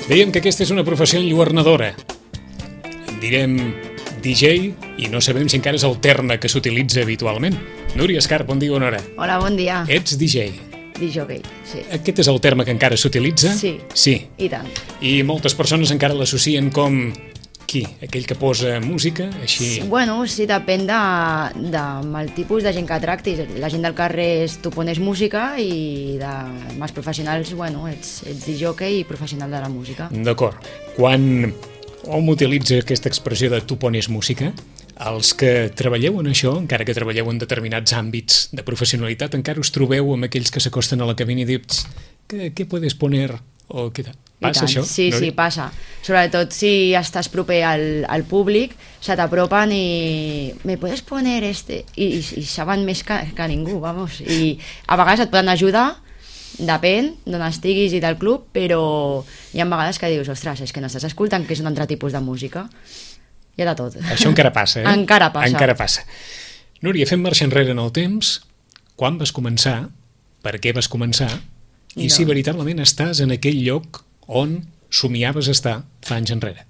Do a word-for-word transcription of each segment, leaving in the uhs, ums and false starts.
Dèiem que aquesta és una professió enlluernadora. En direm D J i no sabem si encara és el terme que s'utilitza habitualment. Núria Escarp, bon dia, bona hora. Hola, bon dia. Ets D J. D J, sí. Aquest és el terme que encara s'utilitza? Sí. Sí. I tant. I moltes persones encara l'associen com... qui? Aquell que posa música? Així... Bueno, sí, depèn de, de, del tipus de gent que tractis. La gent del carrer és, tu pones música i de més professionals, bueno, ets, ets D J i professional de la música. D'acord. Quan hom utilitza aquesta expressió de tu pones música, els que treballeu en això, encara que treballeu en determinats àmbits de professionalitat, encara us trobeu amb aquells que s'acosten a la cabina i dius què, què puedes poner? O què tal? Passa això? Sí, no? sí, passa. Sobretot si estàs proper al, al públic, se t'apropen i... ¿Me puedes poner este? I, i, i saben més que, que ningú, vamos. I a vegades et poden ajudar, depèn d'on estiguis i del club, però hi ha vegades que dius, ostres, és que no estàs escoltant que és un altre tipus de música. Hi ha de tot. Això encara passa, eh? Encara passa. Encara passa. Núria, fem marxa enrere en el temps. Quan vas començar? Per què vas començar? I no. Si veritablement estàs en aquell lloc on somiaves estar fa anys enrere.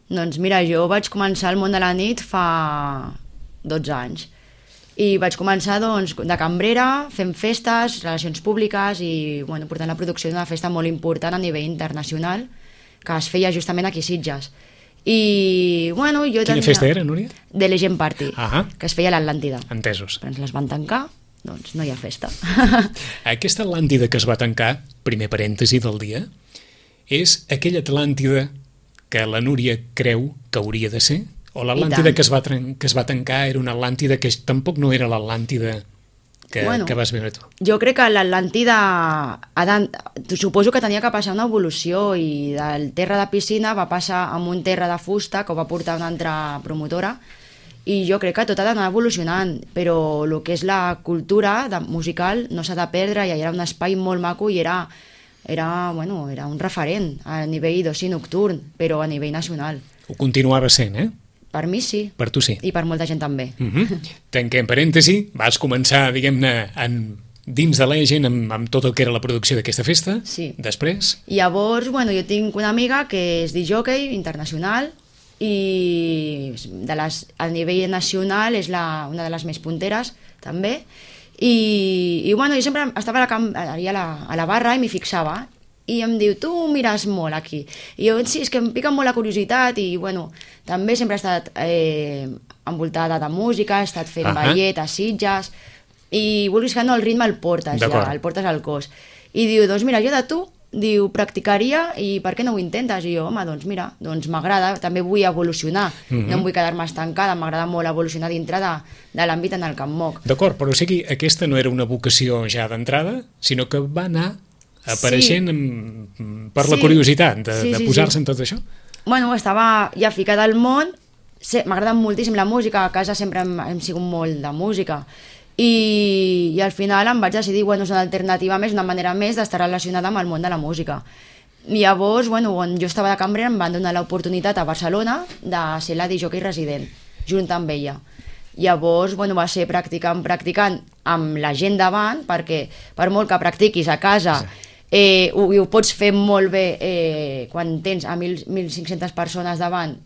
Doncs mira, jo vaig començar al món de la nit fa dotze anys. I vaig començar doncs, de cambrera, fent festes, relacions públiques i bueno, portant la producció d'una festa molt important a nivell internacional que es feia justament aquí a Sitges. I, bueno, jo Quina tenia... festa era, Núria? The Legend Party, ah que es feia a l'Atlàntida. Entesos. Però ens les van tancar, doncs no hi ha festa. Aquesta Atlàntida que es va tancar, primer parèntesi del dia, és aquella Atlàntida que la Núria creu que hauria de ser? O l'Atlàntida que, es va que es va tancar era una Atlàntida que tampoc no era l'Atlàntida que, bueno, que vas veure tu? Jo crec que l'Atlàntida, suposo que tenia que passar una evolució i del terra de piscina va passar a un terra de fusta que ho va portar una altra promotora i jo crec que tot ha d'anar evolucionant, però el que és la cultura de, musical no s'ha de perdre i era un espai molt maco i era, era, bueno, era un referent a nivell d'oci nocturn, però a nivell nacional. Ho continuava sent, eh? Per mi sí. Per tu sí. I per molta gent també. Uh-huh. Tanquem parèntesi, vas començar, diguem-ne, en, dins de Legend amb, amb tot el que era la producció d'aquesta festa. Sí. Després? I llavors, bueno, jo tinc una amiga que és D J internacional i de les, a nivell nacional és la, una de les més punteres també i, i bueno, jo sempre estava a la, a la, a la barra i m'hi fixava i em diu, tu mires molt aquí i jo, sí, és que em pica molt la curiositat i bueno, també sempre he estat eh, envoltada de música, he estat fent uh -huh. ballet a Sitges i vulguis que no, el ritme el portes ja, el portes al cos i diu, doncs mira, jo de tu diu, practicaria i per què no ho intentes? I jo, home, doncs mira, doncs m'agrada, també vull evolucionar, mm-hmm. no em vull quedar-me estancada, m'agrada molt evolucionar dintre de, de l'àmbit en el que em moc. D'acord, però o sigui, aquesta no era una vocació ja d'entrada, sinó que va anar apareixent sí. amb, per sí. la curiositat de, sí, de posar-se sí, sí. en tot això? Bueno, estava ja ficada al món, m'agrada moltíssim la música, a casa sempre hem, hem sigut molt de música, I, i al final em vaig decidir, bueno, és una alternativa més, una manera més d'estar relacionada amb el món de la música. I llavors, bueno, quan jo estava de cambrera em van donar l'oportunitat a Barcelona de ser la D J resident, junt amb ella. Llavors, bueno, va ser practicant, practicant amb la gent davant, perquè per molt que practiquis a casa, eh, ho, ho pots fer molt bé eh, quan tens a mil cinc-centes persones davant,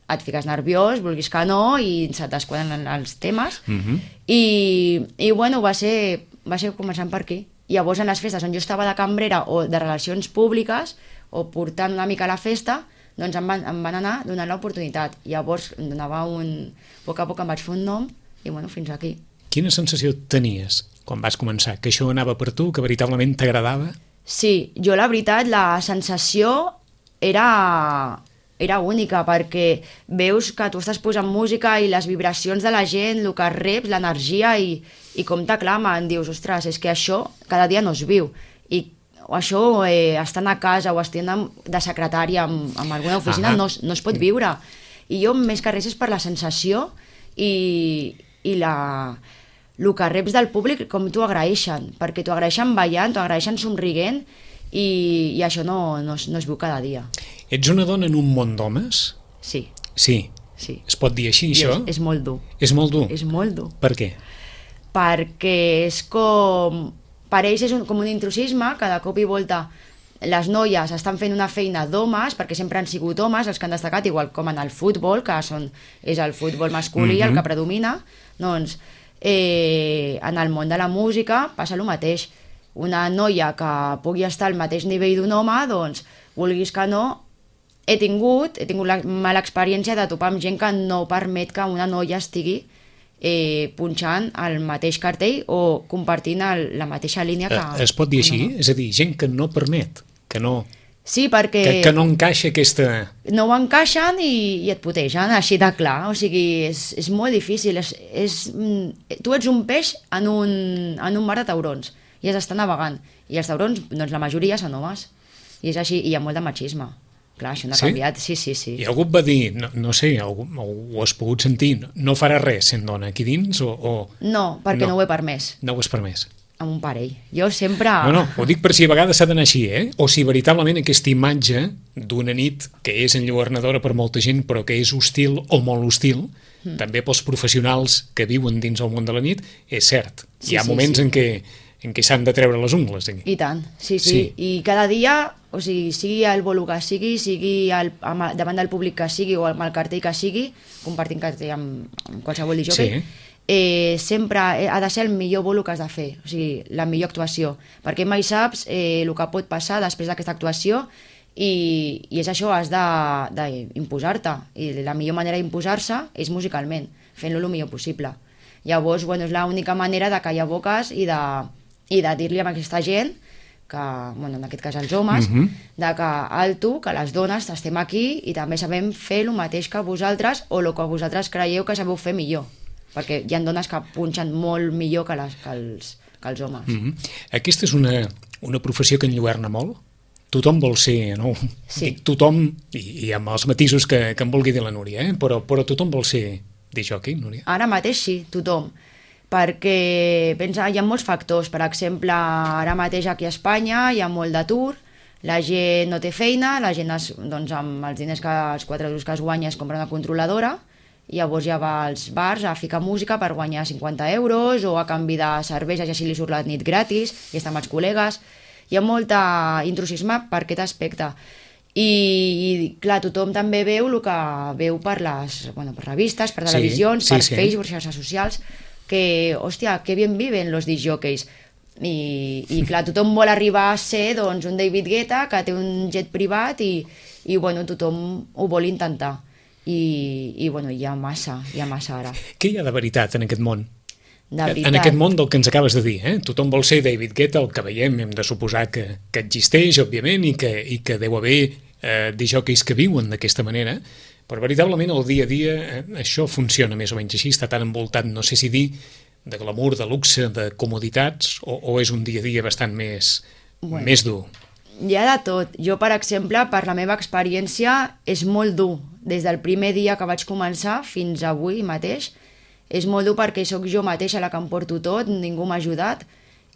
et fiques nerviós, vulguis que no, i se t'esquadren els temes. Uh-huh. I, i bueno, va ser, va ser començant per aquí. Llavors, en les festes on jo estava de cambrera o de relacions públiques, o portant una mica a la festa, doncs em van, em van anar donant l'oportunitat. Llavors, em donava un... A poc a poc em vaig fer un nom, i bueno, fins aquí. Quina sensació tenies quan vas començar? Que això anava per tu, que veritablement t'agradava? Sí, jo la veritat, la sensació era... era única, perquè veus que tu estàs posant música i les vibracions de la gent, el que reps, l'energia i, i com t'aclamen, dius, ostres, és que això cada dia no es viu i això eh, estant a casa o estant de secretària en, en alguna oficina no, no es pot viure i jo més que res és per la sensació i, i la, el que reps del públic com t'ho agraeixen, perquè t'ho agraeixen ballant, t'ho agraeixen somriguent i, i això no, no, no es viu cada dia. Ets una dona en un món d'homes? Sí. Sí? Sí. Es pot dir així, això? És, és molt dur. És molt dur? És molt dur. Per què? Perquè és com... Per ells és un, com un intrusisme, que de cop i volta les noies estan fent una feina d'homes, perquè sempre han sigut homes els que han destacat, igual com en el futbol, que són, és el futbol masculí mm-hmm. el que predomina, doncs eh, en el món de la música passa el mateix. Una noia que pugui estar al mateix nivell d'un home, doncs, vulguis que no, he tingut, he tingut la mala experiència de topar amb gent que no permet que una noia estigui eh, punxant el mateix cartell o compartint el, la mateixa línia que... Es pot dir així? No. És a dir, gent que no permet, que no... Sí, perquè... Que, que no encaixa aquesta... No ho encaixen i, i et putegen, així de clar. O sigui, és, és molt difícil. És, és, tu ets un peix en un, en un mar de taurons i has d'estar navegant. I els taurons, doncs la majoria són homes. I és així, i hi ha molt de machisme. Clar, això no ha sí? canviat, sí, sí, sí. I algú et va dir, no, no sé, algú, ho has pogut sentir, no, no farà res sent dona aquí dins o... o... No, perquè no. no ho he permès. No ho has permès. Amb un parell. Jo sempre... No, no, ho dic per si a vegades s'ha d'anar així, eh? O si veritablement aquesta imatge d'una nit que és enlluernadora per molta gent però que és hostil o molt hostil, mm. també pels professionals que viuen dins el món de la nit, és cert. Sí, hi ha sí, moments sí. en què en què s'han de treure les ungles. Aquí. I tant, sí, sí, sí. I cada dia, o sigui, sigui el bolo que sigui, sigui el, amb, davant del públic que sigui o amb el cartell que sigui, compartint cartell amb, amb qualsevol disjockey, sí. eh, sempre ha de ser el millor bolo que has de fer, o sigui, la millor actuació, perquè mai saps eh, el que pot passar després d'aquesta actuació i, i és això, has d'imposar-te, i la millor manera d'imposar-se és musicalment, fent-lo el millor possible. Llavors, bueno, és l'única manera de callar boques i de i de dir-li a aquesta gent, que, bueno, en aquest cas els homes, uh-huh. de que alto, que les dones estem aquí i també sabem fer el mateix que vosaltres o el que vosaltres creieu que sabeu fer millor. Perquè hi ha dones que punxen molt millor que, les, que, els, que els homes. Uh-huh. Aquesta és una, una professió que enlluerna molt? Tothom vol ser, no? Sí. Dic tothom, i, i amb els matisos que, que em vulgui dir la Núria, eh? però, però tothom vol ser disjockey, Núria? Ara mateix sí, tothom. Perquè pensa, hi ha molts factors. Per exemple, ara mateix aquí a Espanya hi ha molt d'atur, la gent no té feina, la gent es, doncs, amb els diners que els quatre euros que es guanya es compra una controladora i llavors ja va als bars a ficar música per guanyar cinquanta euros o a canvi de cervesa ja si li surt la nit gratis i està amb els col·legues. Hi ha molt intrusisme per aquest aspecte. I, i clar, tothom també veu el que veu per les bueno, per revistes, per televisions, sí, sí, per sí. Facebook, per xarxes socials, que, hòstia, que bien viven los disjockeys. I, i clar, tothom vol arribar a ser doncs, un David Guetta que té un jet privat i, i bueno, tothom ho vol intentar. I, i bueno, hi ha massa, hi ha massa ara. Què hi ha de veritat en aquest món? De veritat. En aquest món del que ens acabes de dir, eh? Tothom vol ser David Guetta, el que veiem, hem de suposar que, que existeix, òbviament, i que, i que deu haver eh, disjockeys que viuen d'aquesta manera, però veritablement el dia a dia eh, això funciona més o menys així, està tan envoltat, no sé si dir, de glamour, de luxe, de comoditats, o, o és un dia a dia bastant més, bueno, més dur? Hi ha de tot. Jo, per exemple, per la meva experiència, és molt dur. Des del primer dia que vaig començar fins avui mateix, és molt dur perquè sóc jo mateixa la que em porto tot, ningú m'ha ajudat.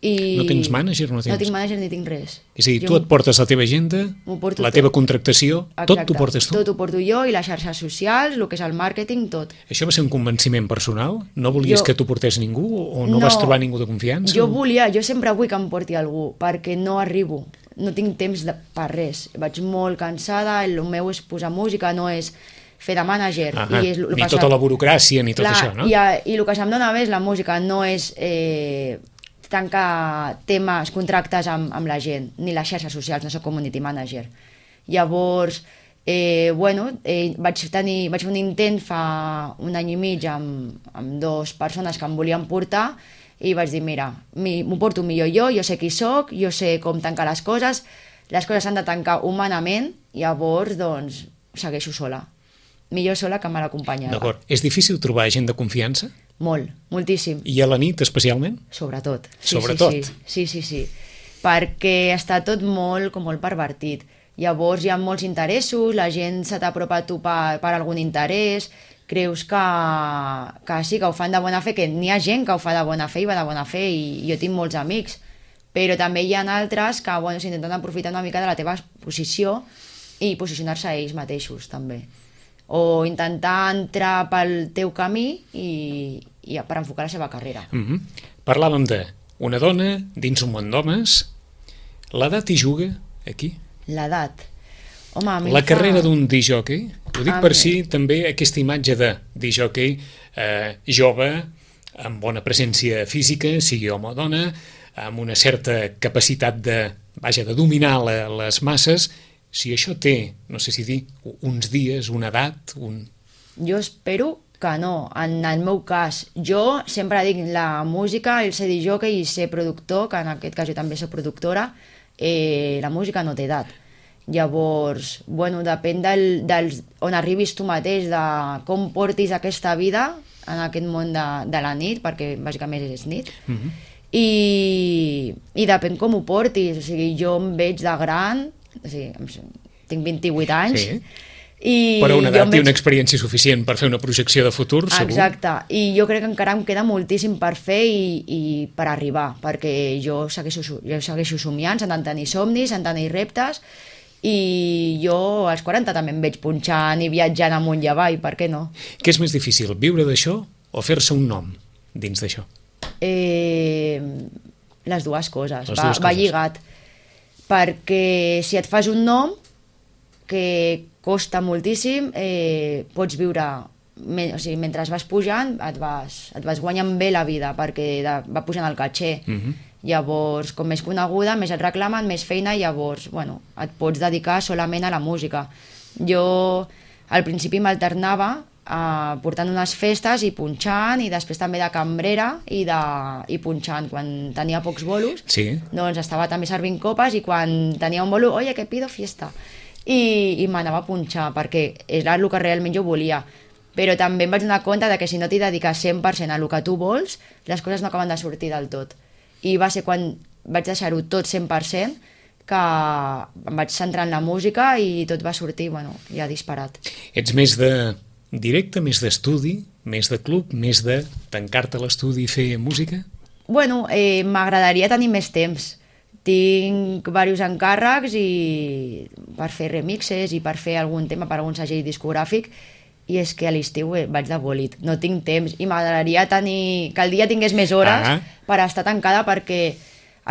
I no tens mànager? No, tens... no tinc mànager ni tinc res. És a dir, jo tu et portes la teva agenda, la tot. teva contractació, exacte, tot t'ho portes tu? Tot ho porto jo i les xarxes socials, el que és el màrqueting, tot. Això va ser un convenciment personal? No volies jo... que t'ho portés ningú o no, no vas trobar ningú de confiança? Jo volia, jo sempre vull que em porti algú perquè no arribo, no tinc temps de, per res. Vaig molt cansada, el meu és posar música, no és fer de mànager. I és ni tota la burocràcia ni tot clar, això, no? I, i el que se'm dona bé és la música, no és... Eh, tancar temes, contractes amb, amb la gent, ni les xarxes socials, no soc community manager. Llavors, eh, bueno, eh, vaig, tenir, vaig fer un intent fa un any i mig amb, amb dues persones que em volien portar i vaig dir, mira, m'ho porto millor jo, jo sé qui soc, jo sé com tancar les coses, les coses s'han de tancar humanament, llavors, doncs, segueixo sola. Millor sola que mal acompanyada. D'acord. És difícil trobar gent de confiança? Molt, moltíssim. I a la nit, especialment? Sobretot. Sí, Sobretot? Sí, sí, sí, sí, sí. Perquè està tot molt, com molt pervertit. Llavors hi ha molts interessos, la gent se t'apropa a tu per, per algun interès, creus que, que sí, que ho fan de bona fe, que n'hi ha gent que ho fa de bona fe i va de bona fe, i jo tinc molts amics, però també hi ha altres que bueno, s'intenten aprofitar una mica de la teva posició i posicionar-se a ells mateixos, també. O intentar entrar pel teu camí i, i per enfocar la seva carrera. Mm-hmm. Parlàvem d'una dona dins un món d'homes. L'edat hi juga aquí? L'edat. Home, a mi La fa... carrera d'un disjockey, ho dic A per mi- si també aquesta imatge de disjockey eh, jove, amb bona presència física, sigui home o dona, amb una certa capacitat de, vaja, de dominar la, les masses, si això té, no sé si dir, uns dies, una edat, un... Jo espero que no, en el meu cas. Jo sempre dic la música, el ser disjockey i ser productor, que en aquest cas jo també soc productora, eh, la música no té edat. Llavors, bueno, depèn del, del, on arribis tu mateix, de com portis aquesta vida en aquest món de, de la nit, perquè bàsicament és nit, Mhm. i, i depèn com ho portis. O sigui, jo em veig de gran, o sigui, em- tinc vint-i-vuit anys, Sí. i Però una jo edat em i veig- una experiència suficient per fer una projecció de futur, segur. Exacte, i jo crec que encara em queda moltíssim per fer i, i per arribar, perquè jo segueixo, jo segueixo somiant, sentant tenir somnis, sentant tenir reptes, i jo als quaranta també em veig punxant i viatjant amunt i avall, per què no? Què és més difícil, viure d'això o fer-se un nom dins d'això? Eh, les dues coses, Les va, dues va coses. lligat, perquè si et fas un nom que costa moltíssim, eh, pots viure, me, o sigui, mentre vas pujant et vas, et vas guanyant bé la vida, perquè de, va pujant el caché. Mhm. Llavors, com més coneguda, més et reclamen, més feina, llavors, bueno, et pots dedicar solament a la música. Jo al principi m'alternava eh, portant unes festes i punxant, i després també de cambrera i, de, i punxant. Quan tenia pocs bolos, Sí. doncs estava també servint copes, i quan tenia un bolo, oye, que pido fiesta. I, i m'anava a punxar, perquè era el que realment jo volia. Però també em vaig donar compte de que si no t'hi dediques cent per cent a el que tu vols, les coses no acaben de sortir del tot. I va ser quan vaig deixar-ho tot cent per cent que em vaig centrar en la música i tot va sortir, bueno, ja disparat. Ets més de directe, més d'estudi, més de club, més de tancar-te a l'estudi i fer música? Bueno, eh, m'agradaria tenir més temps. Tinc diversos encàrrecs i per fer remixes i per fer algun tema per algun segell discogràfic, i és que a l'estiu eh, vaig de bòlit, no tinc temps, i m'agradaria tenir que el dia tingués més hores Ah. per estar tancada, perquè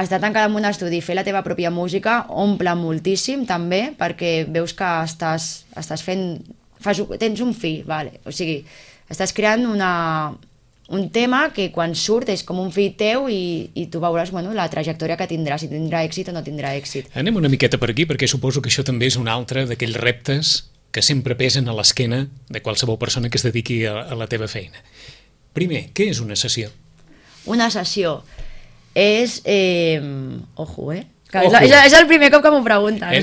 estar tancada en un estudi i fer la teva pròpia música omple moltíssim també, perquè veus que estàs, estàs fent fas, tens un fi, vale. O sigui, estàs creant una, un tema que quan surt és com un fill teu, i, i tu veuràs, bueno, la trajectòria que tindrà, si tindrà èxit o no tindrà èxit. Anem una miqueta per aquí, perquè suposo que això també és un altre d'aquells reptes que sempre pesen a l'esquena de qualsevol persona que es dediqui a, a la teva feina. Primer, què és una sessió? Una sessió és... Eh, ojo, eh? Que Ojo. és, és el primer cop que m'ho pregunten. Eh?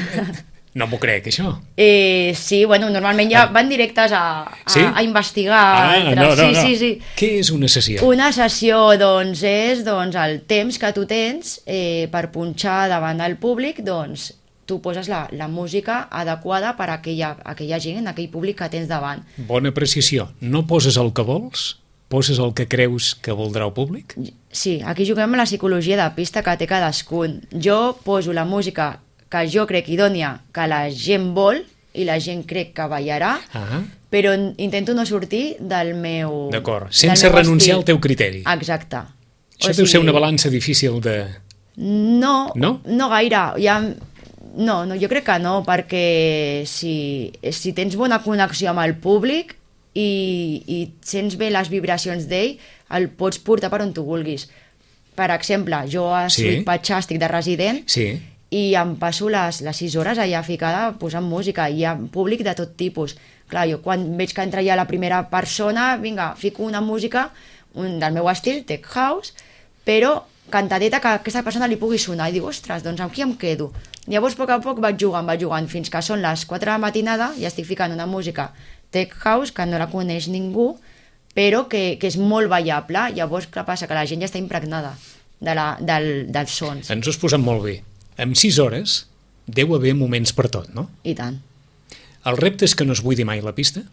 No m'ho crec, això. Eh, sí, bueno, normalment ja van directes a, a, Sí? a investigar. Ah, entre- no, no, sí, no. sí, sí. Què és una sessió? Una sessió, doncs, és doncs, el temps que tu tens eh, per punxar davant del públic, doncs, tu poses la, la música adequada per a aquella, aquella gent, aquell públic que tens davant. Bona precisió. No poses el que vols, poses el que creus que voldrà el públic? Sí, aquí juguem amb la psicologia de pista que té cadascun. Jo poso la música que jo crec idònia, que la gent vol i la gent crec que ballarà, Ah, però intento no sortir del meu... d'acord. del Sense meu renunciar estil. al teu criteri. Exacte. Això deu ser una balança difícil de... No, No? no gaire. Ja, no, no, jo crec que no, perquè si, si tens bona connexió amb el públic i, i sents bé les vibracions d'ell, el pots portar per on tu vulguis. Per exemple, jo a Sí. Sweet Patxar estic de resident, Sí. i em passo les, les sis hores allà ficada posant música, i hi ha públic de tot tipus. Clar, jo quan veig que entra ja la primera persona, vinga, fico una música un, del meu estil, tech house, però cantadeta que a aquesta persona li pugui sonar, i dic, ostres, doncs amb qui em quedo? Llavors, a poc a poc vaig jugant, vaig jugant, fins que són les quatre de la matinada i estic ficant una música tech house que no la coneix ningú, però que, que és molt ballable. Llavors, què passa? Que la gent ja està impregnada de la, del, dels sons. Ens ho has posat molt bé. En sis hores deu haver moments per tot, no? I tant. El repte és que no es buidi mai la pista?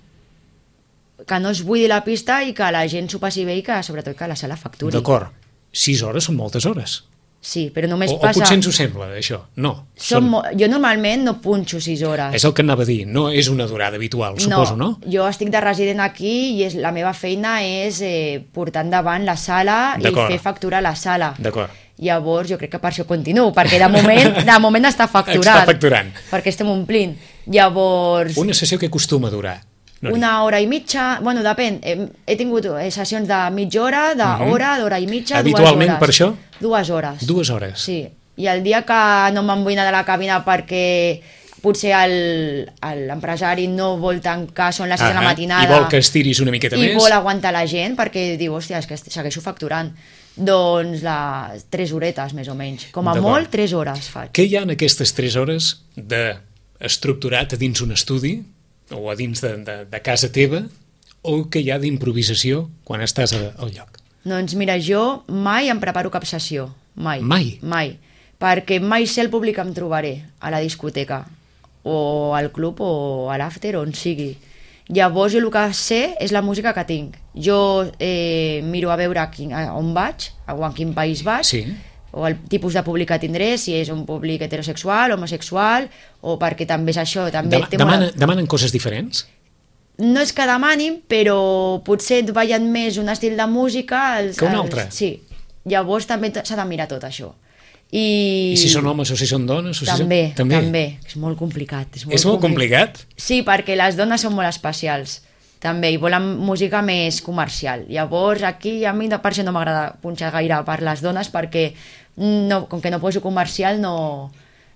Que no es buidi la pista i que la gent s'ho passi bé, i que sobretot que la sala facturi. D'acord. Sis hores són moltes hores. Sí, però només O, o passa... potser ens ho sembla, això. No. Som... Mo... Jo normalment no punxo sis hores. És el que anava a dir. No és una durada habitual, suposo, no? Jo estic de resident aquí i és, la meva feina és eh, portar endavant la sala i D'acord. fer facturar la sala. D'acord. Llavors jo crec que per això continuo, perquè de moment, de moment està facturant. Està facturant. Perquè estem omplint. Llavors... Una sessió que acostuma a durar? Núria? Una hora i mitja, bueno, depèn. He, he tingut sessions de mitja hora, d'hora, d'hora i mitja, dues hores. Habitualment per això? Dues hores. Dues hores. Sí. I el dia que no me'n vull anar de la cabina perquè potser l'empresari no vol tancar, són les sis de la matinada... I vol que estiris una miqueta i més. I vol aguantar la gent perquè diu, hòstia, és que segueixo facturant. Doncs les tres horetes, més o menys. Com a molt, tres hores faig. Què hi ha en aquestes tres hores d'estructurat a dins un estudi o a dins de, de, de casa teva o que hi ha d'improvisació quan estàs al lloc? Doncs mira, jo mai em preparo cap sessió. Mai. Mai? Mai. Perquè mai sé el públic que em trobaré a la discoteca o al club o a l'after, on sigui. Llavors jo el que sé és la música que tinc. Jo eh, miro a veure quin, on vaig, o en quin país vaig, sí. o el tipus de públic que tindré, si és un públic heterosexual, homosexual, o perquè també és això... També Dem demana, una... Demanen coses diferents? No és que demanin, però potser et ballen més un estil de música... Els, que un altre? Els, sí. Llavors també s'ha de mirar tot això. I... I si són homes o si són dones? O si també, són... també, també. És molt complicat. És molt, és molt complicat? Sí, perquè les dones són molt especials, també, i volen música més comercial. Llavors, aquí a mi per això no m'agrada punxar gaire per les dones, perquè no, com que no poso comercial, no,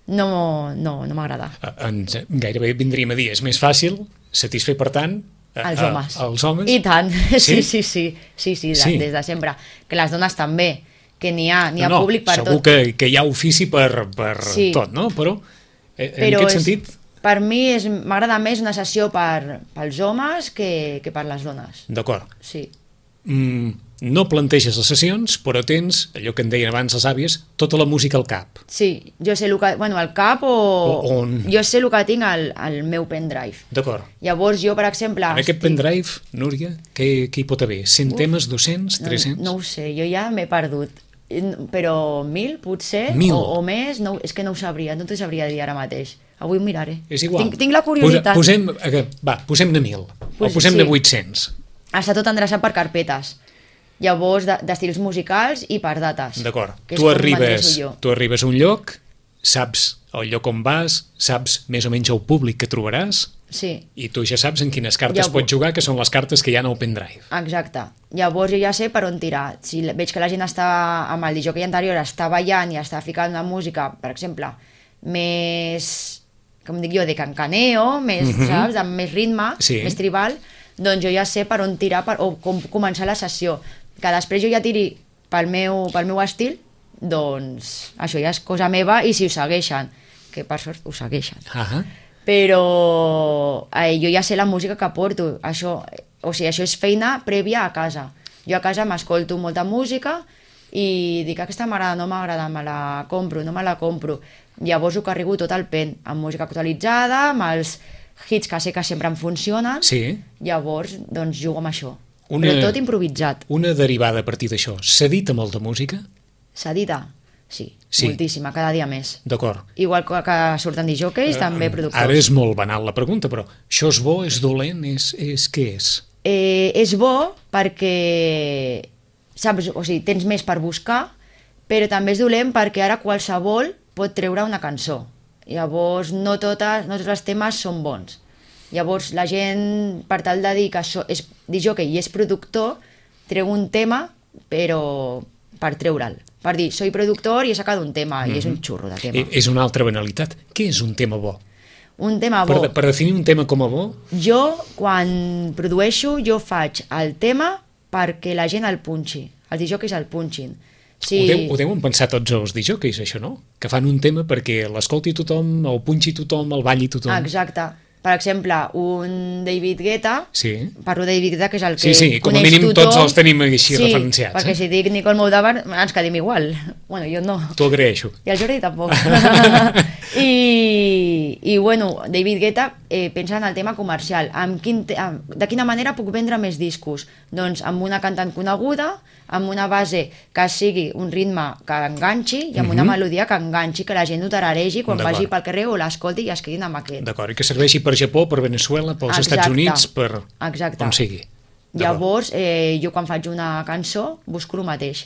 no, no, no m'agrada. Ens gairebé vindríem a dir, és més fàcil satisfer, per tant, a, els homes. A, als homes. I tant, sí, sí, sí, sí, sí, sí, sí. des de sempre. Que les dones també, que n'hi ha, n'hi ha no, no, públic per segur tot. Segur que, que hi ha ofici per, per sí. tot, no? Però, en Però aquest és, sentit... Per mi m'agrada més una sessió per, pels homes que, que per les dones. D'acord. Sí. Mm, no planteges les sessions, però tens, allò que en deien abans les àvies, tota la música al cap. Sí, jo sé el que... Bueno, al cap o... o on... Jo sé el que tinc al, al meu pendrive. D'acord. Llavors jo, per exemple... En aquest estic... pendrive, Núria, què, què hi pot haver? cent Uf, temes, dos-cents, tres-cents? No, no ho sé, jo ja m'he perdut. Però mil, potser, mil. O, o més, no, és que no ho sabria, no t'ho sabria dir ara mateix. Avui ho miraré. És igual. Tinc, tinc la curiositat. Posem, va, posem-ne mil, pues, o posem-ne sí. vuit-cents. Està tot endreçat per carpetes. Llavors, d'estils musicals i per dates. D'acord. Tu arribes, tu arribes a un lloc, saps el lloc on vas, saps més o menys el públic que trobaràs, sí. I tu ja saps en quines cartes Llavors... pots jugar, que són les cartes que hi ha al pendrive. Exacte. Llavors jo ja sé per on tirar. Si veig que la gent està amb el disjockey anterior, està ballant i està ficant una música, per exemple, més, com dic jo, de cancaneo, més, mm -hmm. saps, amb més ritme, sí. més tribal, doncs jo ja sé per on tirar per, o com començar la sessió. Que després jo ja tiri pel meu, pel meu estil, doncs això ja és cosa meva, i si ho segueixen, que per sort ho segueixen. Uh -huh. Però eh, jo ja sé la música que porto, això, o sigui, això és feina prèvia a casa. Jo a casa m'escolto molta música i dic, aquesta m'agrada, no m'agrada, me la compro, no me la compro. Llavors ho carrego tot al pen, amb música actualitzada, amb els hits que sé que sempre em funcionen, sí. Llavors doncs jugo amb això. Una, però tot improvisat. Una derivada a partir d'això. S'edita molta música? S'edita? Sí, sí, moltíssima, cada dia més. D'acord. Igual que, que surten disjockeys, uh, també productors. Ara és molt banal la pregunta, però això és bo, és dolent, és, és què és? Eh, és bo perquè saps, o sigui, tens més per buscar, però també és dolent perquè ara qualsevol pot treure una cançó. Llavors no, totes, no tots els temes són bons. Llavors la gent, per tal de dir que això és disjockey i és productor, treu un tema però per treure'l. Per dir, soy productor i he sacat un tema, mm-hmm. i és un xurro de tema. És una altra banalitat. Què és un tema bo? Un tema bo? Per, per definir un tema com a bo? Jo, quan produeixo, jo faig el tema perquè la gent el punxi, els disjockeys el punxin. Sí. Ho, deu, ho deuen pensar tots els disjockeys, això, no? Que fan un tema perquè l'escolti tothom, el punxi tothom, el balli tothom. Exacte. Per exemple, un David Guetta, sí. Parlo de David Guetta, que és el que sí, sí, com a mínim tothom. Tots els tenim així sí, referenciats. Perquè eh? si dic Nicole Moldaver, ens quedim igual. Bueno, jo no. T'ho agraeixo. I el Jordi tampoc. I, I, bueno, David Guetta eh, pensa en el tema comercial. Amb quin te amb, de quina manera puc vendre més discos? Doncs amb una cantant coneguda, amb una base que sigui un ritme que enganxi i amb una mm-hmm. melodia que enganxi, que la gent ho tararegi quan vagi pel carrer o l'escolti i es quedin amb aquest. D'acord, i que serveixi per Japó, per Venezuela, pels Exacte. Estats Units, per Exacte. On sigui. Llavors, eh, jo quan faig una cançó busco el mateix.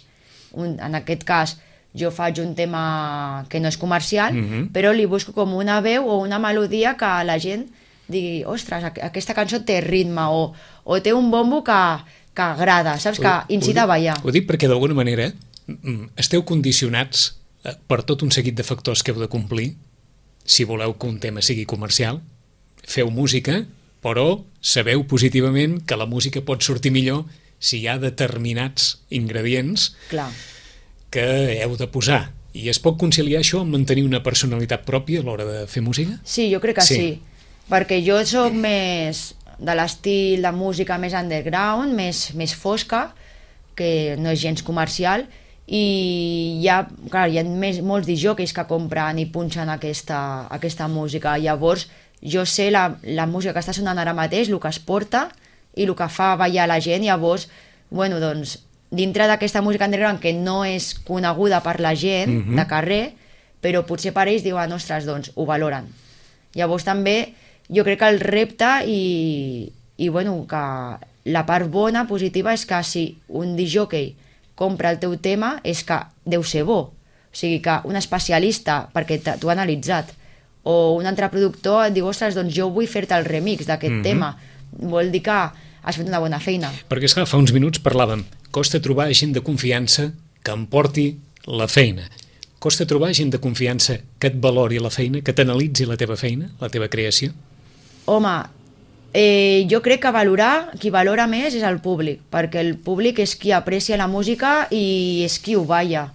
Un, en aquest cas, jo faig un tema que no és comercial, Mhm. però li busco com una veu o una melodia que la gent digui, ostres, aqu- aquesta cançó té ritme o, o té un bombo que, que agrada, saps? Que Ho- incita ho a ballar. dic- Ho dic perquè d'alguna manera mm, esteu condicionats eh, per tot un seguit de factors que heu de complir si voleu que un tema sigui comercial. Feu música, però sabeu positivament que la música pot sortir millor si hi ha determinats ingredients Clar. que heu de posar. I es pot conciliar això amb mantenir una personalitat pròpia a l'hora de fer música? Sí, jo crec que Sí. sí. Perquè jo sóc més de l'estil de música més underground, més, més fosca, que no és gens comercial, i hi ha, clar, hi ha més, molts disjòqueis que compren i punxen aquesta, aquesta música. Llavors, jo sé la, la música que està sonant ara mateix, el que es porta i el que fa ballar la gent. Llavors, bueno, doncs, dintre d'aquesta música underground que no és coneguda per la gent Mhm. de carrer, però potser per ells diuen, ostres, doncs, ho valoren. Llavors també jo crec que el repte i, i bueno, que la part bona, positiva, és que si un disjockey compra el teu tema és que deu ser bo. O sigui que un especialista, perquè t'ho ha analitzat, o un altre productor et diu, ostres, doncs jo vull fer-te el remix d'aquest Mhm. tema. Vol dir que has fet una bona feina. Perquè, esclar, fa uns minuts parlàvem, costa trobar gent de confiança que em porti la feina. Costa trobar gent de confiança que et valori la feina, que t'analitzi la teva feina, la teva creació. Home, eh, jo crec que valorar, qui valora més és el públic, perquè el públic és qui aprecia la música i és qui ho balla.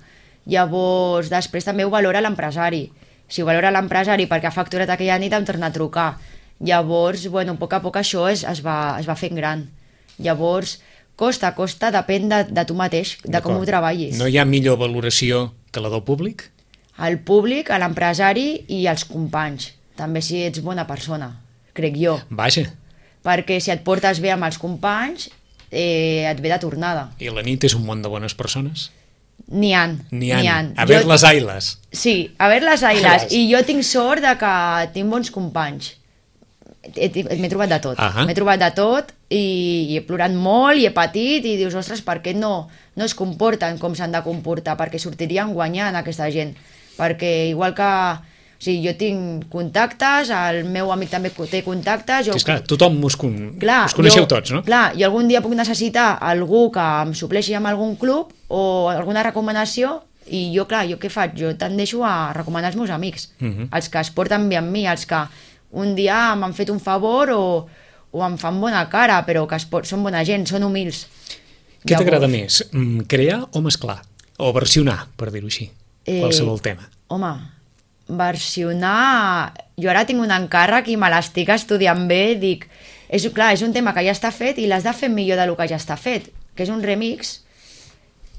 Llavors, després també ho valora l'empresari. Si ho valora l'empresari perquè ha facturat aquella nit em torna a trucar. Llavors, bueno, a poc a poc això es, es, va, es va fent gran. Llavors, costa, costa, depèn de, de tu mateix, de com ho treballis. No hi ha millor valoració que la del públic? El públic, a l'empresari i els companys. També si ets bona persona, crec jo. Vaja, Perquè si et portes bé amb els companys, eh, et ve de tornada. i la nit és un món de bones persones? N'hi han, N'hi ha. n'hi han. A ver Jo- les ailes. Sí, a veure les ailes. Ailes. I jo tinc sort de que tinc bons companys. He- he- M'he trobat de tot. Ahà. M'he trobat de tot i, i he plorat molt i he patit i dius, ostres, per què no, no es comporten com s'han de comportar? Perquè sortirien guanyant aquesta gent. Perquè igual que... O sigui, jo tinc contactes, el meu amic també té contactes... Jo... Sí, esclar, tothom us, con... Clar, us coneixeu jo, tots, no? Clar, i algun dia puc necessitar algú que em supleixi amb algun club o alguna recomanació i jo, clar, jo què faig? Jo tendeixo a recomanar els meus amics, Mhm. els que es porten bé amb mi, els que un dia m'han fet un favor o, o em fan bona cara, però que es pot, són bona gent, són humils. Què t'agrada Llavors, més, mm, crear o mesclar? O versionar, per dir-ho així, Eh, qualsevol tema. Home, versionar... Jo ara tinc un encàrrec i me l'estic estudiant bé, dic... És, clar, és un tema que ja està fet i l'has de fer millor del que ja està fet, que és un remix,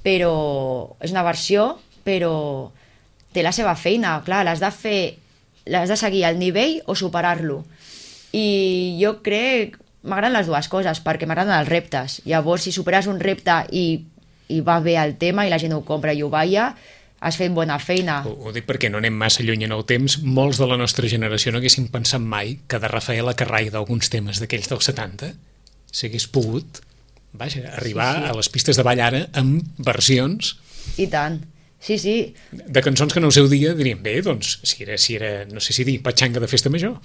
però és una versió, però té la seva feina, clar, l'has de fer, l'has de seguir al nivell o superar-lo. I jo crec, m'agraden les dues coses, perquè m'agraden els reptes. Llavors, si superes un repte i, i va bé el tema i la gent ho compra i ho balla, has fet bona feina. Ho, ho dic perquè no anem massa lluny en el temps. Molts de la nostra generació no haguessin pensat mai que de Rafaela Carrà i d'alguns temes d'aquells dels setanta s'hagués pogut, vaja, arribar Sí, sí. a les pistes de ball ara amb versions I tant. Sí, sí. de cançons que en el seu dia dirien, bé, doncs, si era, si era no sé si dir, patxanga de festa major,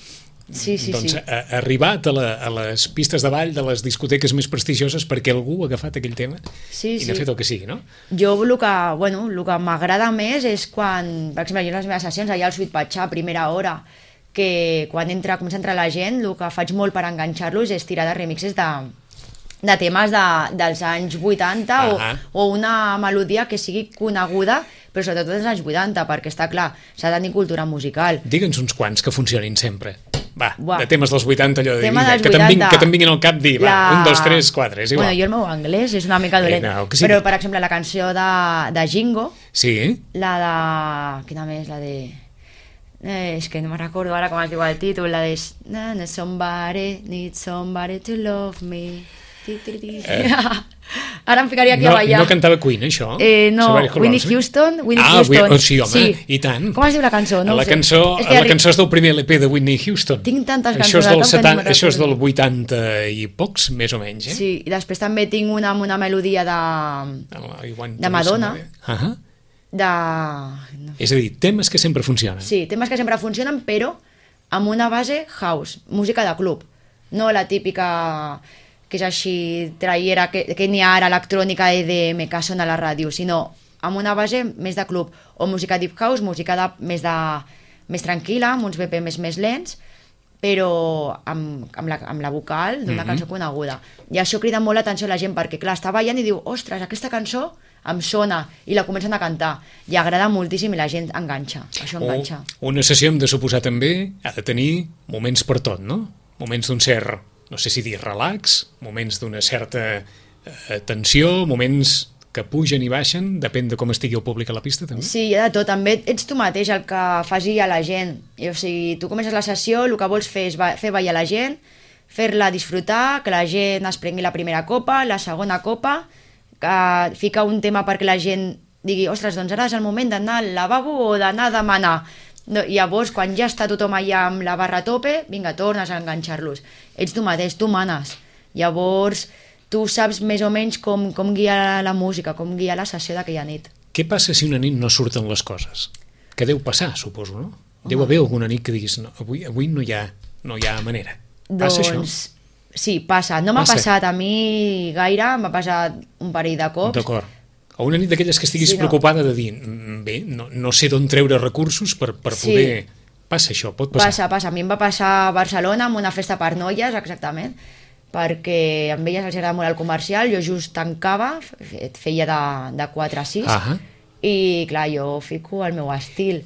Sí, sí, doncs sí. ha ha arribat a, la, a les pistes de ball de les discoteques més prestigioses perquè algú ha agafat aquell tema Sí, i n'ha sí. fet el que sigui, no? Jo el que, bueno, el que m'agrada més és quan, per exemple, jo en les meves sessions, allà al Sweet Patxà, a primera hora, que quan entra, comença a entrar la gent, el que faig molt per enganxar-los és tirar de remixes de, de temes de, dels anys vuitanta o, Ahà. o una melodia que sigui coneguda, però sobretot dels anys vuitanta, perquè està clar, s'ha de tenir cultura musical. Digue'ns uns quants que funcionin sempre. Va, Buah. de temes dels vuitanta, allò de Tema vinga, dels que te'n vingui, vuitanta. que te'n vinguin al cap dir, va, un, dos, tres, quatre, és igual. Bueno, jo el meu anglès és una mica dolent, Eh, no, que sí. però per exemple la cançó de, de Jingo, Sí? la de... Quina més? La de... Eh, és que no me recordo ara com es diu el títol, la de... Na, na, somebody, need somebody to love me. Ti, ti, ti. Eh. Ara em ficaria aquí No, a ballar. no cantava Queen, això? Eh, no, Somebody Who Whitney Loves Me? Houston, Whitney ah, Houston. Wi- oh, sí, home, i tant. Com es diu la cançó? No ho la sé. cançó, És que la arri- cançó és del primer L P de Whitney Houston. Tinc tantes això és cançons del al cap que setanta, no me'n això és del recordo. vuitanta i pocs, més o menys, eh? Sí, i després també tinc una amb una melodia de, Oh, I want de to Madonna. listen to it. Uh -huh. De... És a dir, temes que sempre funcionen. Sí, temes que sempre funcionen, però amb una base house, música de club. No la típica que és així traiera, que, que n'hi ha ara electrònica E D M que sona a la ràdio, sinó amb una base més de club, o música deep house, música de, més, de, més tranquil·la, amb uns B P Ms més lents, però amb, amb, la, amb la vocal d'una mm-hmm. cançó coneguda. I això crida molt l'atenció a la gent, perquè clar, està ballant i diu, ostres, aquesta cançó em sona, i la comencen a cantar, i agrada moltíssim i la gent enganxa, això enganxa. O una sessió, hem de suposar també, ha de tenir moments per tot, no? Moments d'un cert, no sé si dir relax, moments d'una certa eh, tensió, moments que pugen i baixen, depèn de com estigui el públic a la pista, també? Sí, hi ha de tot, també ets tu mateix el que faci a la gent, i, o sigui, tu comences la sessió, el que vols fer és fer ballar la gent, fer-la disfrutar, que la gent es prengui la primera copa, la segona copa, que fica un tema perquè la gent digui, ostres, doncs ara és el moment d'anar al lavabo o d'anar a demanar. No, llavors, quan ja està tothom allà amb la barra a tope, vinga, tornes a enganxar-los. Ets tu mateix, tu manes. Llavors, tu saps més o menys com, com guiar la música, com guiar la sessió d'aquella nit. Què passa si una nit no surten les coses? Que deu passar, suposo, no? Deu haver alguna nit que diguis, no, avui, avui no, hi ha, no hi ha manera. Passa doncs, això? Sí, passa. No m'ha passat a mi gaire, m'ha passat un parell de cops. D'acord. O una nit d'aquelles que estiguis sí, no. preocupada de dir, bé, no, no sé d'on treure recursos per, per sí. poder... Passa això, pot passar. Passa, passa. A mi em va passar a Barcelona amb una festa per noies, exactament, perquè amb elles els agrada molt el comercial, jo just tancava, feia de, de quatre a sis, ah i clar, jo fico el meu estil.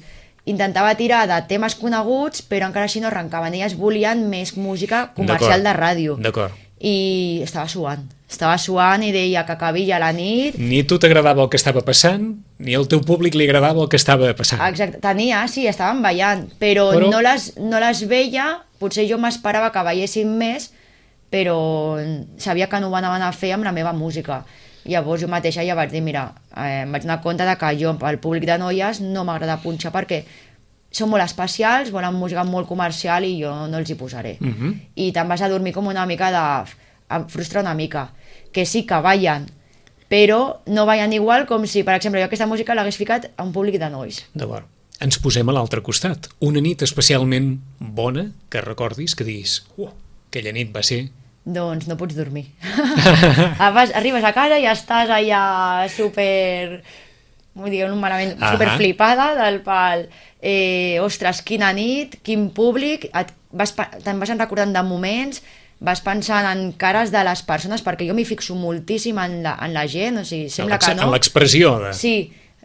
Intentava tirar de temes coneguts, però encara així no arrencaven. Elles volien més música comercial de ràdio. D'acord. I estava suant. Estava suant i deia que acabia la nit. Ni a tu t'agradava el que estava passant, ni al teu públic li agradava el que estava passant. Exacte. Tenia, sí, estaven ballant, però, però... No, les, no les veia. Potser jo m'esperava que ballessin més, però sabia que no ho anaven a fer amb la meva música. Llavors jo mateixa ja vaig dir, mira, eh, em vaig donar compte de que jo, pel públic de noies, no m'agrada punxar perquè són molt especials, volen música molt comercial i jo no els hi posaré. Uh-huh. I te'n vas a dormir com una mica de... em frustra una mica, que sí que ballen, però no ballen igual com si, per exemple, jo aquesta música l'hagués ficat a un públic de nois. D'acord. Ens posem a l'altre costat. Una nit especialment bona, que recordis, que diguis, uh, aquella nit va ser... Doncs no pots dormir. Arribes a casa i estàs allà super... diguem-ho malament, uh-huh. super flipada del pal. Eh, ostres, quina nit, quin públic, et vas, te'n vas recordant de moments, vas pensant en cares de les persones, perquè jo m'hi fixo moltíssim en la, en la gent, o sigui, sembla que no. En l'expressió de... Sí,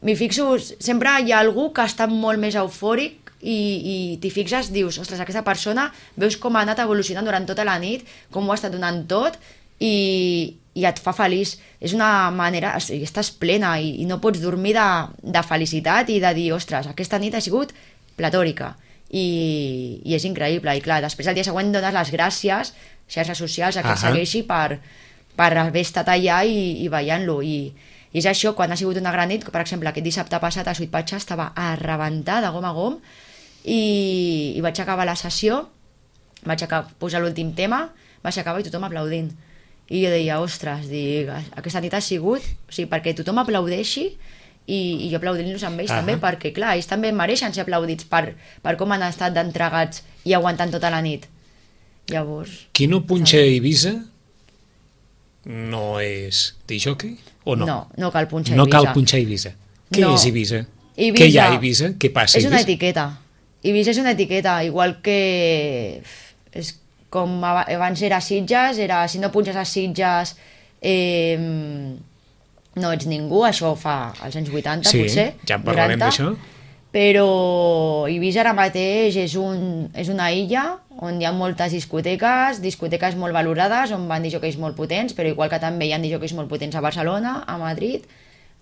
m'hi fixo, sempre hi ha algú que està molt més eufòric i, i t'hi fixes, dius, ostres, aquesta persona, veus com ha anat evolucionant durant tota la nit, com ho ha estat donant tot, i, i et fa feliç. És una manera, o sigui, estàs plena i, i no pots dormir de, de felicitat i de dir, ostres, aquesta nit ha sigut platòrica. I, i és increïble. I clar, després el dia següent dones les gràcies, xarxes socials, a qui et segueixi per, per haver estat allà i, i ballant-lo. I, I és això, quan ha sigut una gran nit, per exemple, aquest dissabte passat a Sweet Patxa estava a rebentar de gom a gom, i, i vaig acabar la sessió, vaig acabar, posar l'últim tema, vaig acabar i tothom aplaudint. I jo deia, ostres, dic, aquesta nit ha sigut, o sigui, perquè tothom aplaudeixi i, i jo aplaudint-los amb ells uh-huh. també, perquè clar, ells també mereixen ser aplaudits per, per com han estat d'entregats i aguantant tota la nit. Llavors... Qui no punxa a Eivissa no és disjockey o no? No, no cal punxar a No Eivissa. cal punxar a Eivissa. Què no. és Eivissa? Eivissa? Què hi ha a Eivissa? Què passa a És Eivissa? una etiqueta. Eivissa és una etiqueta, igual que... És com abans era Sitges, era si no punxes a Sitges eh, no ets ningú, això fa als anys vuitanta sí, potser, ja en parlarem d'això. Però Eivissa ara mateix és, un, és una illa on hi ha moltes discoteques, discoteques molt valorades, on van disjockeys molt potents, però igual que també hi ha disjockeys molt potents a Barcelona, a Madrid,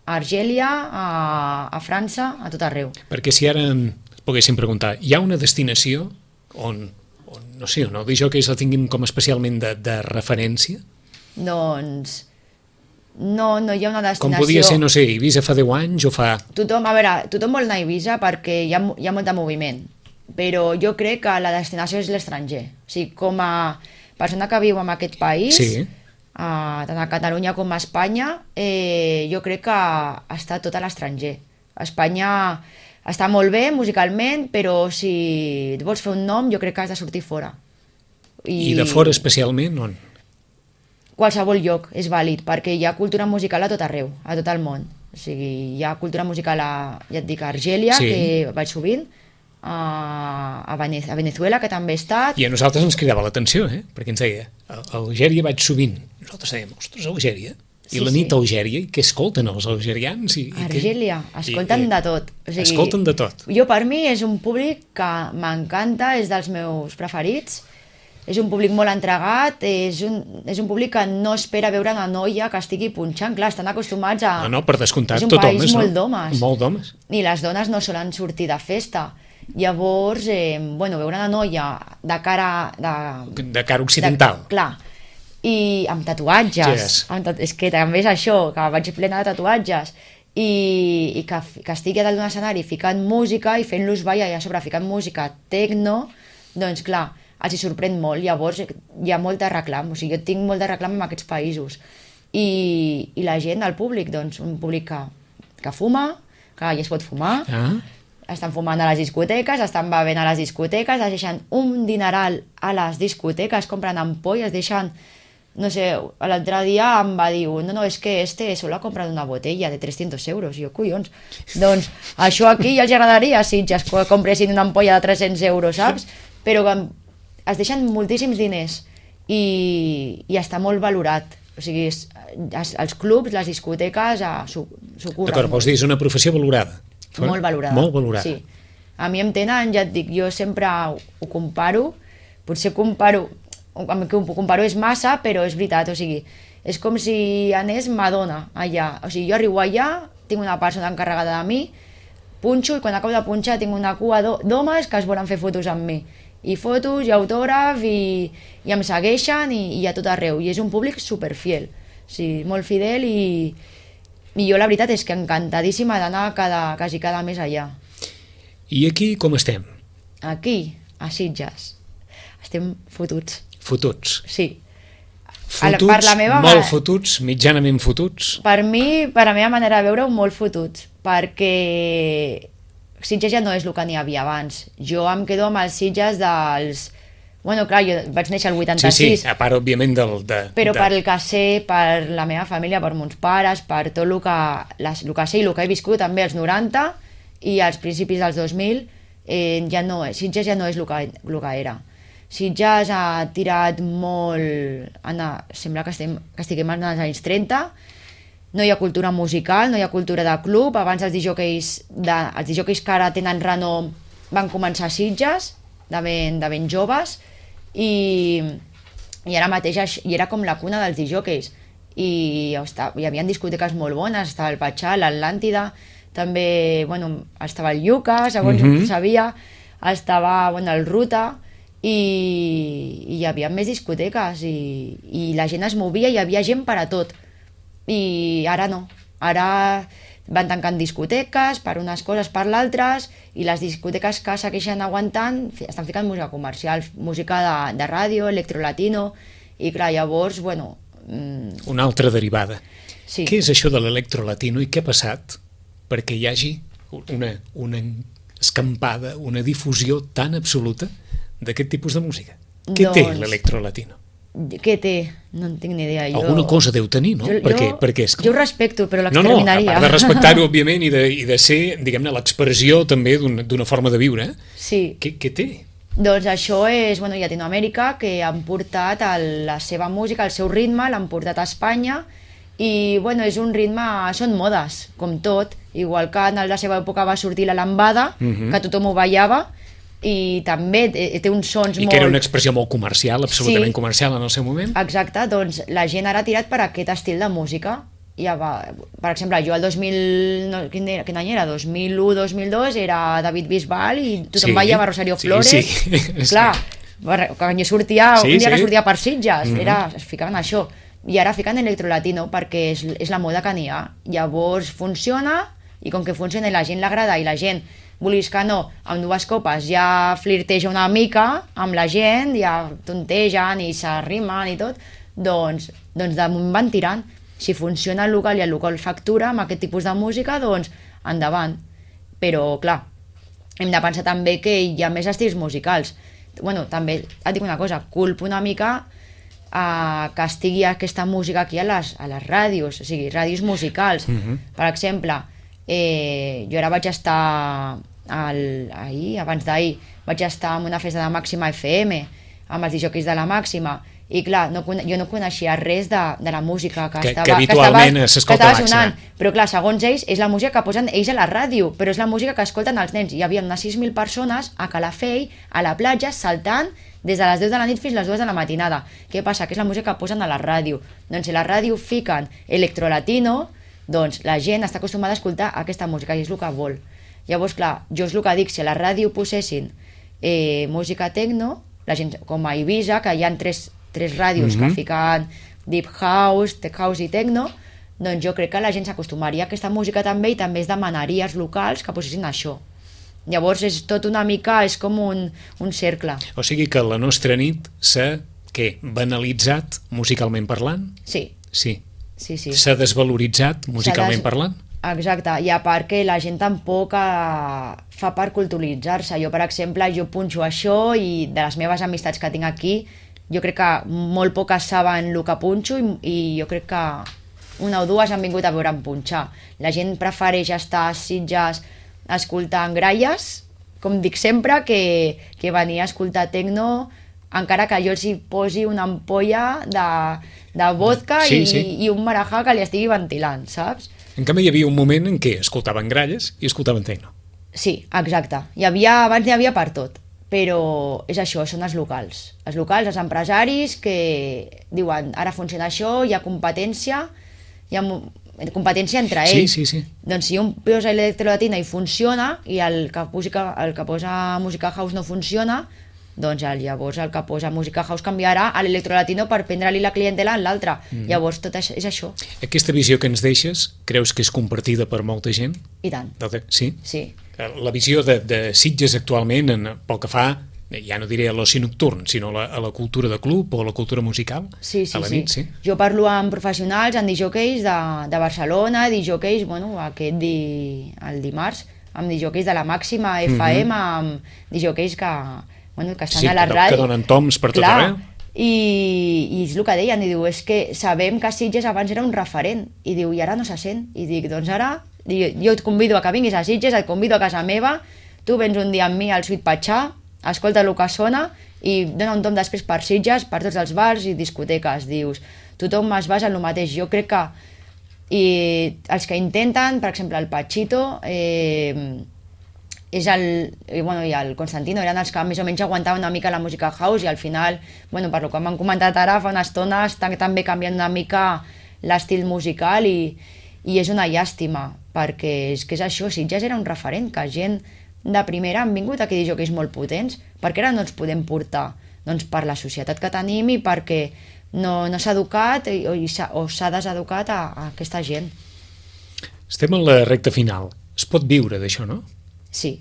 a Argèlia, a, a França, a tot arreu. Perquè si ara poguéssim preguntar, hi ha una destinació on, on no sé, on els disjockeys la tinguin com especialment de, de referència? Doncs... No, no hi ha una destinació... Com podia ser, no sé, Eivissa fa deu anys o fa... Tothom, a veure, tothom vol anar a Eivissa perquè hi ha, hi ha molt de moviment, però jo crec que la destinació és l'estranger. O sigui, com a persona que viu en aquest país, sí. a, tant a Catalunya com a Espanya, eh, jo crec que està tot a l'estranger. Espanya està molt bé musicalment, però si et vols fer un nom, jo crec que has de sortir fora. I, I de fora especialment, on? Qualsevol lloc és vàlid, perquè hi ha cultura musical a tot arreu, a tot el món. O sigui, hi ha cultura musical a, ja et dic, a Argèlia, sí. que vaig sovint, a, a, Venez a Venezuela, que també he estat... I a nosaltres ens cridava l'atenció, eh? Perquè ens deia, a Algèria vaig sovint. Nosaltres dèiem, ostres, Algèria? I sí, la nit sí. a Algèria, i què escolten els algerians? I, i Argèlia, què? escolten I, de tot. O sigui, escolten de tot. Jo, per mi, és un públic que m'encanta, és dels meus preferits, és un públic molt entregat, és un, és un públic que no espera veure una noia que estigui punxant. Clar, estan acostumats a... No, no, per descomptat, és un tot país homes, molt no? d'homes. Molt d'homes. I les dones no solen sortir de festa. Llavors, eh, bueno, veure una noia de cara... De, de cara occidental. De, clar, i amb tatuatges. Yes. Amb tat és que també és això, que vaig plena de tatuatges. I, i que, que estigui a dalt d'un escenari ficant música i fent-los ballar i a sobre ficant música tecno, doncs clar, els hi sorprèn molt. Llavors hi ha molt de reclam, o sigui, jo tinc molt de reclam en aquests països. I, i la gent, el públic, doncs un públic que, que fuma, que ja es pot fumar, ah. estan fumant a les discoteques, estan bevent a les discoteques, es deixen un dineral a les discoteques, compren ampolles, deixen, no sé, l'altre dia em va dir, no, no, és que este solo ha comprat una botella de trescientos euros, i jo, collons, doncs això aquí ja els agradaria si ja es compressin una ampolla de tres-cents euros, saps? Però que es deixen moltíssims diners i, i està molt valorat. O sigui, es, es, els clubs, les discoteques s'ho curren. D'acord, vols dir, és una professió valorada. Molt valorada. Molt valorada. Sí. A mi em tenen, ja et dic, jo sempre ho, ho comparo, potser comparo, amb què ho comparo és massa, però és veritat, o sigui, és com si anés Madonna allà. O sigui, jo arribo allà, tinc una persona encarregada de mi, punxo, i quan acabo de punxar tinc una cua d'homes que es volen fer fotos amb mi. I fotos, i autògraf, i, i em segueixen, i, i a tot arreu. I és un públic superfiel, o sigui, molt fidel, i, i jo la veritat és que encantadíssima d'anar cada, quasi cada mes allà. I aquí com estem? Aquí, a Sitges, estem fotuts. Fotuts? Sí. Fotuts, per la meva molt fotuts, mitjanament fotuts? Per mi, per la meva manera de veure-ho, molt fotuts, perquè Sitges ja no és el que n'hi havia abans. Jo em quedo amb els Sitges dels... Bueno, clar, jo vaig néixer al vuitanta-sis. Sí, sí, a part, òbviament, del... De, però de... per el que sé, per la meva família, per mons pares, per tot el que, les, el que sé i el que he viscut també als noranta i als principis dels dos mil, eh, ja no, Sitges ja no és el que, el que era. Sitges ha tirat molt... Anna, sembla que, estem, que estiguem als anys trenta, no hi ha cultura musical, no hi ha cultura de club. Abans els disjòqueis, de, els disjòqueis que ara tenen renom van començar a Sitges, de ben, de ben joves, i, i ara mateix i era com la cuna dels disjòqueis. I hi havia discoteques molt bones, estava el Patxà, l'Atlàntida, també, bueno, estava el Yuca, segons mm-hmm. sabia, estava, bueno, el Ruta, i, i hi havia més discoteques, i, i la gent es movia, i hi havia gent per a tot. I ara no, ara van tancant discoteques per unes coses, per l'altres, i les discoteques que segueixen aguantant estan ficant música comercial, música de, de ràdio, electrolatino, i clar, llavors, bueno... Mmm... Una altra derivada. Sí. Què és això de l'electrolatino i què ha passat perquè hi hagi una, una escampada, una difusió tan absoluta d'aquest tipus de música? Què doncs... té l'electrolatino? Què té? No en tinc ni idea. Jo... Alguna cosa deu tenir, no? Jo, perquè, jo, perquè és... jo ho respecto, però l'exterminaria. No, no, a part de respectar-ho, òbviament, i de, i de ser, diguem-ne, l'expressió també d'una forma de viure. Sí. Què, què té? Doncs això és, bueno, Llatinoamèrica, que han portat el, la seva música, el seu ritme, l'han portat a Espanya, i, bueno, és un ritme... Són modes, com tot. Igual que en la seva època va sortir la lambada, uh-huh. que tothom ho ballava, i també té uns sons I molt... I que era una expressió molt comercial, absolutament sí, comercial en el seu moment. Exacte, doncs la gent ara ha tirat per aquest estil de música. Ja va, per exemple, jo el dos mil... No, quin, era, quin any era? dos mil u dos mil dos era David Bisbal i tothom sí, ballava Rosario sí, Flores. Sí, clar, quan jo sortia, sí, un dia sí. que sortia per Sitges, mm-hmm. era, es ficaven això. I ara fiquen electrolatino perquè és, és la moda que n'hi ha. Llavors funciona, i com que funciona i la gent l'agrada i la gent, vulguis que no, amb dues copes ja flirteja una mica amb la gent, ja tontegen i s'arrimen i tot, doncs, doncs de moment van tirant. Si funciona el local i el local factura amb aquest tipus de música, doncs endavant. però clar, hem de pensar també que hi ha més estils musicals. Bueno, també et dic una cosa, culpo una mica a que estigui aquesta música aquí a les, a les ràdios, o sigui, ràdios musicals. Uh-huh. Per exemple, eh, jo ara vaig estar al, ahir, abans d'ahir, vaig estar en una festa de Màxima F M amb els disjòqueis de la Màxima, i clar, no, jo no coneixia res de, de la música que, que, estava, que habitualment s'escolta a Màxima. Però clar, segons ells, és la música que posen ells a la ràdio, però és la música que escolten els nens. Hi havia unes sis mil persones a Calafell, a la platja, saltant des de les deu de la nit fins a les dues de la matinada. Què passa? Que és la música que posen a la ràdio. Doncs si a la ràdio fiquen electrolatino, doncs la gent està acostumada a escoltar aquesta música i és el que vol. Llavors, clar, jo és el que dic, si a la ràdio posessin eh, música tecno, la gent, com a Ibiza, que hi ha tres tres ràdios mm-hmm. que fiquen deep house, tech house i techno, doncs jo crec que la gent s'acostumaria a aquesta música també i també es demanaria als locals que posessin això. Llavors és tot una mica, és com un, un cercle. O sigui que la nostra nit s'ha, què, banalitzat musicalment parlant? Sí. Sí. Sí, sí. S'ha desvaloritzat musicalment des... parlant? Exacte, i a part que la gent tampoc eh, fa per culturalitzar-se. Jo, per exemple, jo punxo això i de les meves amistats que tinc aquí, jo crec que molt poques saben el que punxo i, i jo crec que una o dues han vingut a veure'm punxar. La gent prefereix estar a Sitges escoltant gralles, com dic sempre, que, que venir a escoltar tecno, encara que jo els hi posi una ampolla de, de vodka sí, i, sí. i un marajà que li estigui ventilant, saps? En canvi, hi havia un moment en què escoltaven gralles i escoltaven tecno. Sí, exacte. Hi havia, abans n'hi havia per tot. Però és això, són els locals. Els locals, els empresaris que diuen, ara funciona això, hi ha competència, hi ha competència entre ells. Sí, sí, sí. Doncs si un posa electrolatina i funciona, i el que, música, el que posa música house no funciona, doncs llavors el que posa música house canviarà a l'electrolatino per prendre-li la clientela en l'altre. Mm. Llavors tot és, és això. Aquesta visió que ens deixes, creus que és compartida per molta gent? I tant. Sí? Sí. La visió de, de Sitges actualment, en, pel que fa, ja no diré a l'oci nocturn, sinó a la, a la cultura de club o a la cultura musical, sí, sí, a la sí. nit, sí. Jo parlo amb professionals, amb disjòqueis de, de Barcelona, disjòqueis, bueno, aquest di, el dimarts, amb disjòqueis de la Màxima F M, mm-hmm. amb disjòqueis que, bueno, que estan sí, a la que, ràdio. que donen toms per tot arreu. I, i és el que deien, i diu, és que sabem que Sitges abans era un referent, i diu, i ara no se sent, i dic, doncs ara, jo et convido a que vinguis a Sitges, et convido a casa meva, tu vens un dia amb mi al Sweet Patxà, escolta el que sona i dona un tom després per Sitges, per tots els bars i discoteques, dius, tothom es basa en el mateix. Jo crec que i els que intenten, per exemple el Pachito eh, és el, i, bueno, i el Constantino eren els que més o menys aguantaven una mica la música house i al final, bueno, per lo que m'han comentat ara fa una estona, estan també canviant una mica l'estil musical i, i és una llàstima perquè és que és això, Sitges era un referent que gent de primera han vingut aquí disjòqueis molt potents, perquè ara no ens podem portar? Doncs per la societat que tenim i perquè no, no s'ha educat o, o s'ha deseducat a, a aquesta gent. Estem en la recta final. Es pot viure d'això, no? Sí,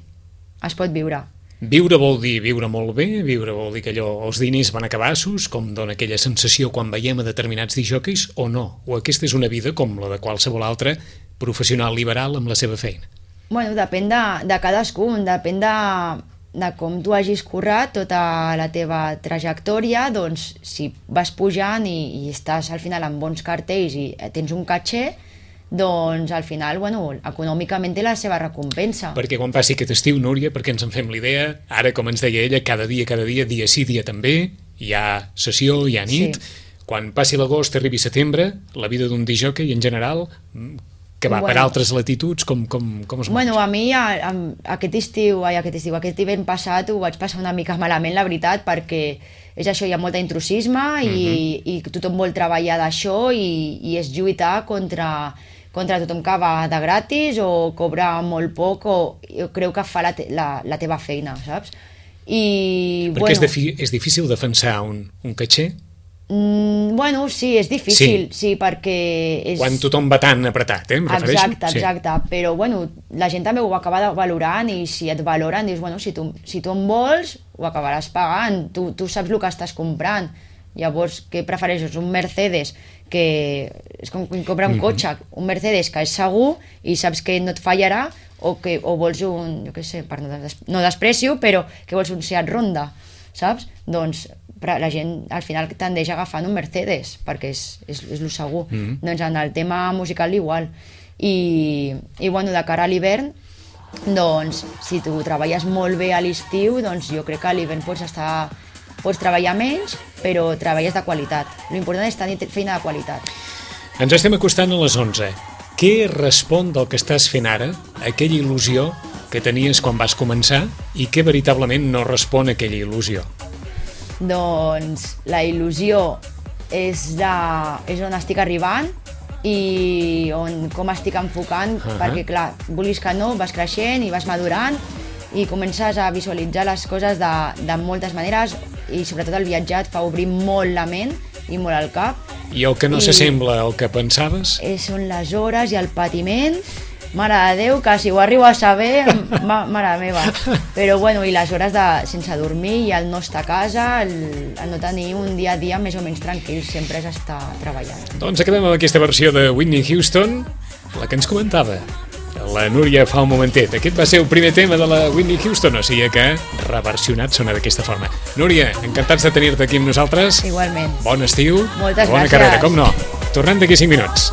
es pot viure. Viure vol dir viure molt bé, viure vol dir que allò, els diners van a cabassos, com dona aquella sensació quan veiem a determinats disjòqueis, o no? O aquesta és una vida com la de qualsevol altre professional liberal amb la seva feina? Bueno, depèn de, de cadascun, depèn de, de com tu hagis currat tota la teva trajectòria, doncs si vas pujant i, i estàs al final amb bons cartells i tens un caché, doncs al final, bueno, econòmicament té la seva recompensa. Perquè quan passi aquest estiu, Núria, perquè ens en fem l'idea, ara, com ens deia ella, cada dia, cada dia, dia sí, dia també, hi ha sessió, hi ha nit, sí. Quan passi l'agost, arribi setembre, la vida d'un disjòquei en general, que va bueno, per altres latituds, com, com, com es bueno, a mi a, a, aquest estiu, ai, aquest estiu, aquest hivern passat ho vaig passar una mica malament, la veritat, perquè és això, hi ha molt intrusisme i, uh-huh. i tothom vol treballar d'això i, i és lluitar contra, contra tothom que va de gratis o cobra molt poc o jo crec que fa la, te, la, la teva feina, saps? I, perquè bueno, és, defi, és difícil defensar un, un caché? Mm, bueno, sí, és difícil, sí, sí perquè... És... Quan tothom va tan apretat, eh, em refereixo? Exacte, exacte, sí. Però bueno, la gent també ho acaba valorant i si et valoren dius, bueno, si tu, si tu en vols, ho acabaràs pagant, tu, tu saps el que estàs comprant. Llavors, què prefereixes? Un Mercedes, que és com comprar un cotxe, un Mercedes que és segur i saps que no et fallarà, o, que, o vols un, jo què sé, per no, des, no desprecio, però que vols un Seat Ronda, saps? Doncs la gent al final tendeix agafant un Mercedes, perquè és, és, és lo segur. Mm. Doncs en el tema musical igual. I, i bueno, de cara a l'hivern, doncs si tu treballes molt bé a l'estiu, doncs jo crec que a l'hivern pots estar pots treballar menys, però treballes de qualitat. L'important és tenir feina de qualitat. Ens estem acostant a les onze. Què respon del que estàs fent ara, aquella il·lusió que tenies quan vas començar, i què veritablement no respon a aquella il·lusió? Doncs la il·lusió és, de, és on estic arribant i on, com estic enfocant, uh-huh. perquè clar, vulguis que no, vas creixent i vas madurant i comences a visualitzar les coses de, de moltes maneres, i sobretot el viatjar et fa obrir molt la ment i molt el cap. I el que no s'assembla al que pensaves? Són les hores i el patiment, mare de Déu, que si ho arribo a saber, ma, mare meva. Però bueno, i les hores de, sense dormir i el no estar a casa, el, el no tenir un dia a dia més o menys tranquil, sempre és estar treballant. Doncs acabem amb aquesta versió de Whitney Houston, la que ens comentava la Núria fa un momentet. Aquest va ser el primer tema de la Whitney Houston, o sigui que reversionat sona d'aquesta forma. Núria, encantats de tenir-te aquí amb nosaltres. Igualment. Bon estiu. Moltes bona gràcies. Carrera, com no. Tornem d'aquí cinc minuts.